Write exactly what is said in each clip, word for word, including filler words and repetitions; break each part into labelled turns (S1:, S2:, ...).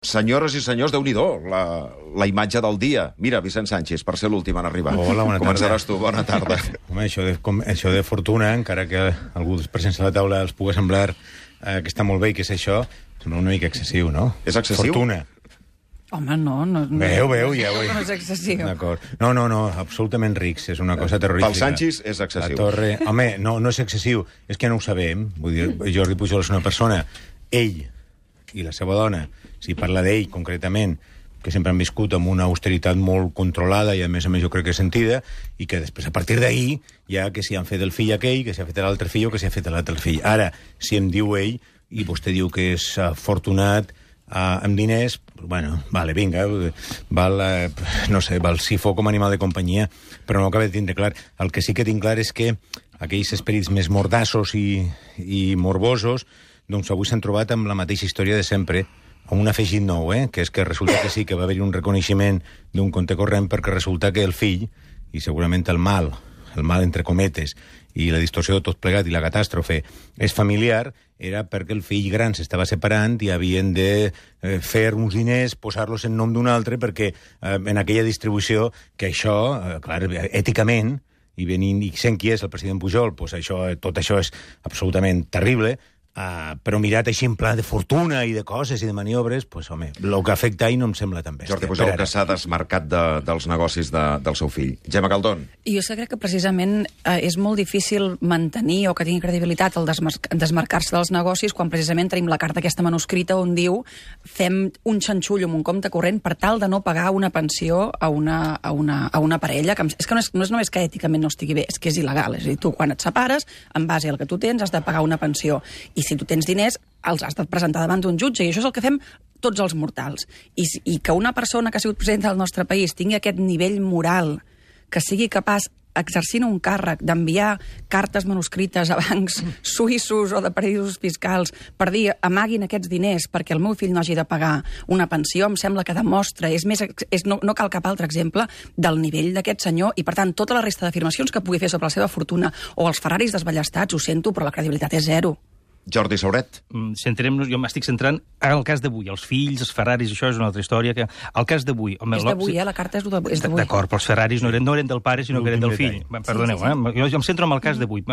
S1: Senyores i senyors, Déu-n'hi-do, la, la imatge del dia. Mira, Vicent Sánchez, per ser l'últim en arribar.
S2: Hola, bona tarda.
S1: Començaràs tu, bona tarda.
S2: Home, això de, com, això de fortuna, encara que algú dels presents a la taula els pugui semblar eh, que està molt bé i que és això, sembla una mica excessiu, no?
S1: És excessiu?
S2: Fortuna.
S3: Home, no, no... no
S2: veu, veu, ja ho he...
S3: No és excessiu.
S2: D'acord. No, no, no, absolutament rics, és una cosa terrorífica.
S1: Pel Sánchez és excessiu.
S2: La torre... Home, no, no és excessiu, és que no ho sabem. Vull dir, Jordi Pujol és una persona, ell i la seva dona, si parla d'ell concretament, que sempre han viscut amb una austeritat molt controlada i a més a més jo crec que sentida, i que després a partir d'ahir ja que si han fet el fill aquell, que si ha fet l'altre fill o que si ha fet l'altre fill. Ara, si em diu ell, i vostè diu que és afortunat uh, amb diners, bueno, vale, vinga, val, uh, no sé, val sifó com a animal de companyia, però no acaba de tindre clar. El que sí que tinc clar és que aquells esperits més mordassos i, i morbosos, doncs avui s'han trobat amb la mateixa història de sempre, amb un afegit nou, eh? Que és que resulta que sí, que va haver-hi un reconeixement d'un compte corrent perquè resulta que el fill, i segurament el mal, el mal entre cometes, i la distorsió de tot plegat i la catàstrofe és familiar, era perquè el fill gran s'estava separant i havien de eh, fer uns diners, posar-los en nom d'un altre, perquè eh, en aquella distribució, que això, eh, clar, èticament, i venint i sent qui és el president Pujol, pues això, tot això és absolutament terrible. Uh, però mirat així en pla de fortuna i de coses i de maniobres, pues, home, el que afecta ahir no em sembla tan bèstia.
S1: Jordi Pujol, que s'ha desmarcat de, dels negocis de, del seu fill. Gemma Caldón.
S3: Jo sé crec que precisament eh, és molt difícil mantenir o que tingui credibilitat el desmar desmarcar-se dels negocis quan precisament tenim la carta aquesta manuscrita on diu fem un xanxullo amb un compte corrent per tal de no pagar una pensió a una, a una, a una parella. Que és que no és, no és només que èticament no estigui bé, és que és il·legal. És a dir, tu quan et separes, en base al que tu tens, has de pagar una pensió. I si tu tens diners, els has de presentar davant d'un jutge, i això és el que fem tots els mortals. I, i que una persona que ha sigut presidenta del nostre país tingui aquest nivell moral, que sigui capaç, exercint un càrrec, d'enviar cartes manuscrites a bancs suïssos o de paradisos fiscals per dir amaguin aquests diners perquè el meu fill no hagi de pagar una pensió, em sembla que demostra, és més, és, no, no cal cap altre exemple del nivell d'aquest senyor, i per tant tota la resta d'afirmacions que pugui fer sobre la seva fortuna o els Ferraris desballestats, ho sento, però la credibilitat és zero.
S1: Jordi Sauret.
S4: Centrem-nos, jo m'estic centrant en el cas d'avui. Els fills, els Ferraris, això és una altra història. Que... El cas d'avui...
S3: És d'avui, eh? La carta és d'avui.
S4: D'acord, però els Ferraris no eren, no eren del pare, sinó que eren del fill. Perdoneu, sí, sí, sí. eh? Jo em centro en el cas d'avui,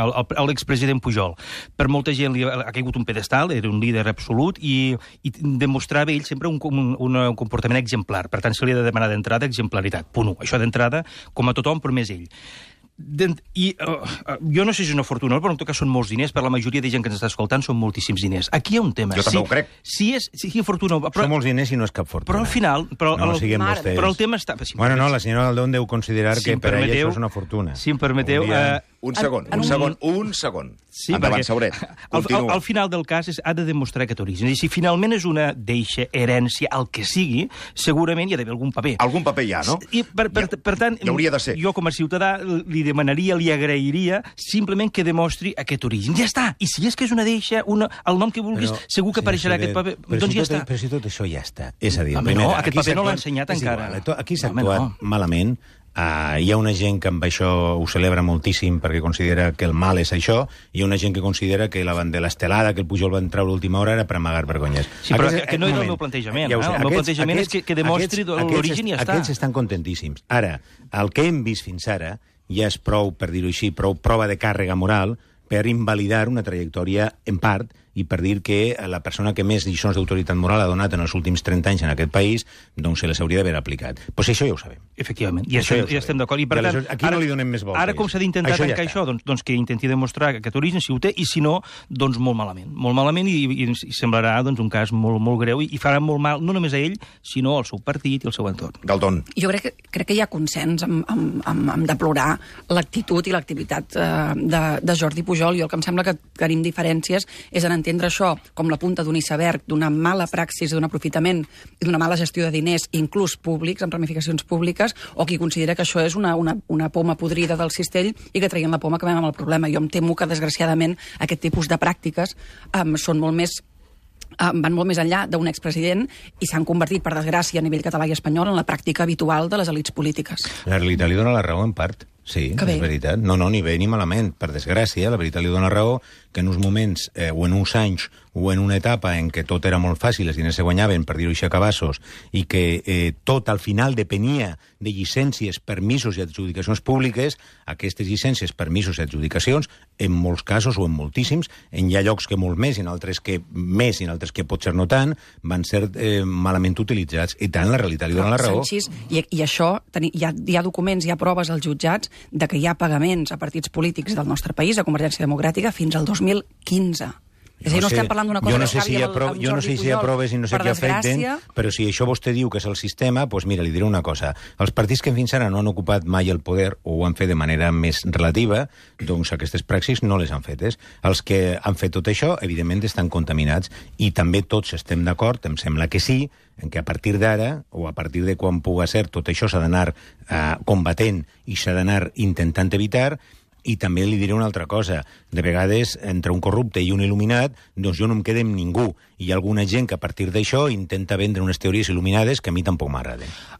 S4: l'expresident Pujol. Per molta gent li ha caigut un pedestal, era un líder absolut, i, i demostrava ell sempre un, un, un comportament exemplar. Per tant, se li ha de demanar d'entrada exemplaritat. Punt u. Això d'entrada, com a tothom, però més ell. I uh, uh, jo no sé si és una fortuna, però en tot cas són molts diners, per la majoria de gent que ens està escoltant són moltíssims diners. Aquí hi ha un tema.
S1: Jo també
S4: si,
S1: ho crec.
S4: Si és, si és fortuna...
S2: Però, són molts diners i no és cap fortuna.
S4: Però al final... Però,
S2: no,
S4: el,
S2: siguem vostès.
S4: Però el tema està...
S2: Si bueno, no, la senyora Galdón deu considerar si que per ella això és una fortuna.
S4: Si em permeteu...
S2: Dia...
S4: Uh,
S1: un segon, un, un segon, un segon.
S4: Sí,
S1: endavant, Sauret.
S4: Al, al, al final del cas és, ha de demostrar aquest origen. I si finalment és una deixa, herència, el que sigui, segurament hi ha d'haver algun paper.
S1: Algun paper hi ha, no?
S4: I per, per, per tant,
S1: hi hauria de ser.
S4: Jo com a ciutadà li demanaria, li agrairia simplement que demostri aquest origen. Ja està! I si és que és una deixa, una, el nom que vulguis, però, segur que apareixerà aquest paper.
S2: Però
S4: doncs
S2: si
S4: ja
S2: tot,
S4: està.
S2: Però si tot això ja està. És a dir,
S4: home,
S2: primera,
S4: no, aquest paper no l'ha ensenyat encara.
S2: Igual, aquí s'ha actuat no. malament. Uh, hi ha una gent que amb això ho celebra moltíssim perquè considera que el mal és això, i hi ha una gent que considera que la bandera estelada que el Pujol va entrar a l'última hora era per amagar vergonyes.
S4: Sí, però aquest, que no era el meu plantejament. Ja eh? El aquests, meu plantejament aquests, és que, que demostri l'origen i ja està.
S2: Aquests estan contentíssims. Ara, el que hem vist fins ara ja és prou, per dir-ho així, prou prova de càrrega moral per invalidar una trajectòria, en part, i per dir que la persona que més lliçons d'autoritat moral ha donat en els últims trenta anys en aquest país, doncs se les hauria d'haver aplicat. Però pues això ja ho sabem.
S4: Efectivament, i això, això ja, ja estem d'acord. I per tant,
S2: aquí
S4: ara,
S2: no li donem més voltes.
S4: Ara com s'ha d'intentar
S2: això
S4: tancar
S2: ja
S4: això? Doncs, doncs que intenti demostrar aquest origen, si ho té, i si no, doncs molt malament. Molt malament, i, i, i semblarà doncs, un cas molt, molt greu, i, i farà molt mal, no només a ell, sinó al seu partit i al seu entorn.
S1: Galdón.
S3: Jo crec que, crec que hi ha consens amb, amb, amb, amb deplorar l'actitud i l'activitat eh, de, de Jordi Pujol. Jo el que em sembla que tenim diferències és en entendre això com la punta d'un iceberg, d'una mala praxis, d'un aprofitament i d'una mala gestió de diners, inclús públics, amb ramificacions públiques, o qui considera que això és una, una, una poma podrida del cistell i que traient la poma acabem amb el problema. Jo em temo que, desgraciadament, aquest tipus de pràctiques um, són molt més Um, van molt més enllà d'un expresident i s'han convertit, per desgràcia, a nivell català i espanyol en la pràctica habitual de les elits polítiques.
S2: La realitat li dona la raó en part. Sí, és veritat. No, no, ni bé ni malament. Per desgràcia, la veritat li dona raó que en uns moments, eh, o en uns anys, o en una etapa en què tot era molt fàcil, els diners se guanyaven, per dir-ho així a cabassos, i que eh, tot al final depenia de llicències, permisos i adjudicacions públiques, aquestes llicències, permisos i adjudicacions, en molts casos o en moltíssims, en hi ha llocs que molt més, i en altres que més, i en altres que potser no tant, van ser eh, malament utilitzats. I tant, la realitat li dona la raó.
S3: Sanchis, i, i això, teni, hi, ha, hi ha documents, hi ha proves als jutjats de que hi ha pagaments a partits polítics del nostre país, a Convergència Democràtica, fins al dos mil quinze. És a dir, no estem parlant d'una cosa
S2: jo no
S3: que
S2: sé
S3: acabi
S2: si
S3: amb,
S2: apro
S3: amb
S2: jo no sé si aproves i no sé què afecten, però si això vostè diu que és el sistema, doncs mira, li diré una cosa. Els partits que fins ara no han ocupat mai el poder o ho han fet de manera més relativa, doncs aquestes praxis no les han fetes. Els que han fet tot això, evidentment, estan contaminats i també tots estem d'acord, em sembla que sí, en què a partir d'ara, o a partir de quan puga ser, tot això s'ha d'anar eh, combatent i s'ha d'anar intentant evitar. I també li diré una altra cosa. De vegades, entre un corrupte i un il·luminat, doncs jo no em quedo amb ningú. I hi ha alguna gent que a partir d'això intenta vendre unes teories il·luminades que a mi tampoc m'agraden.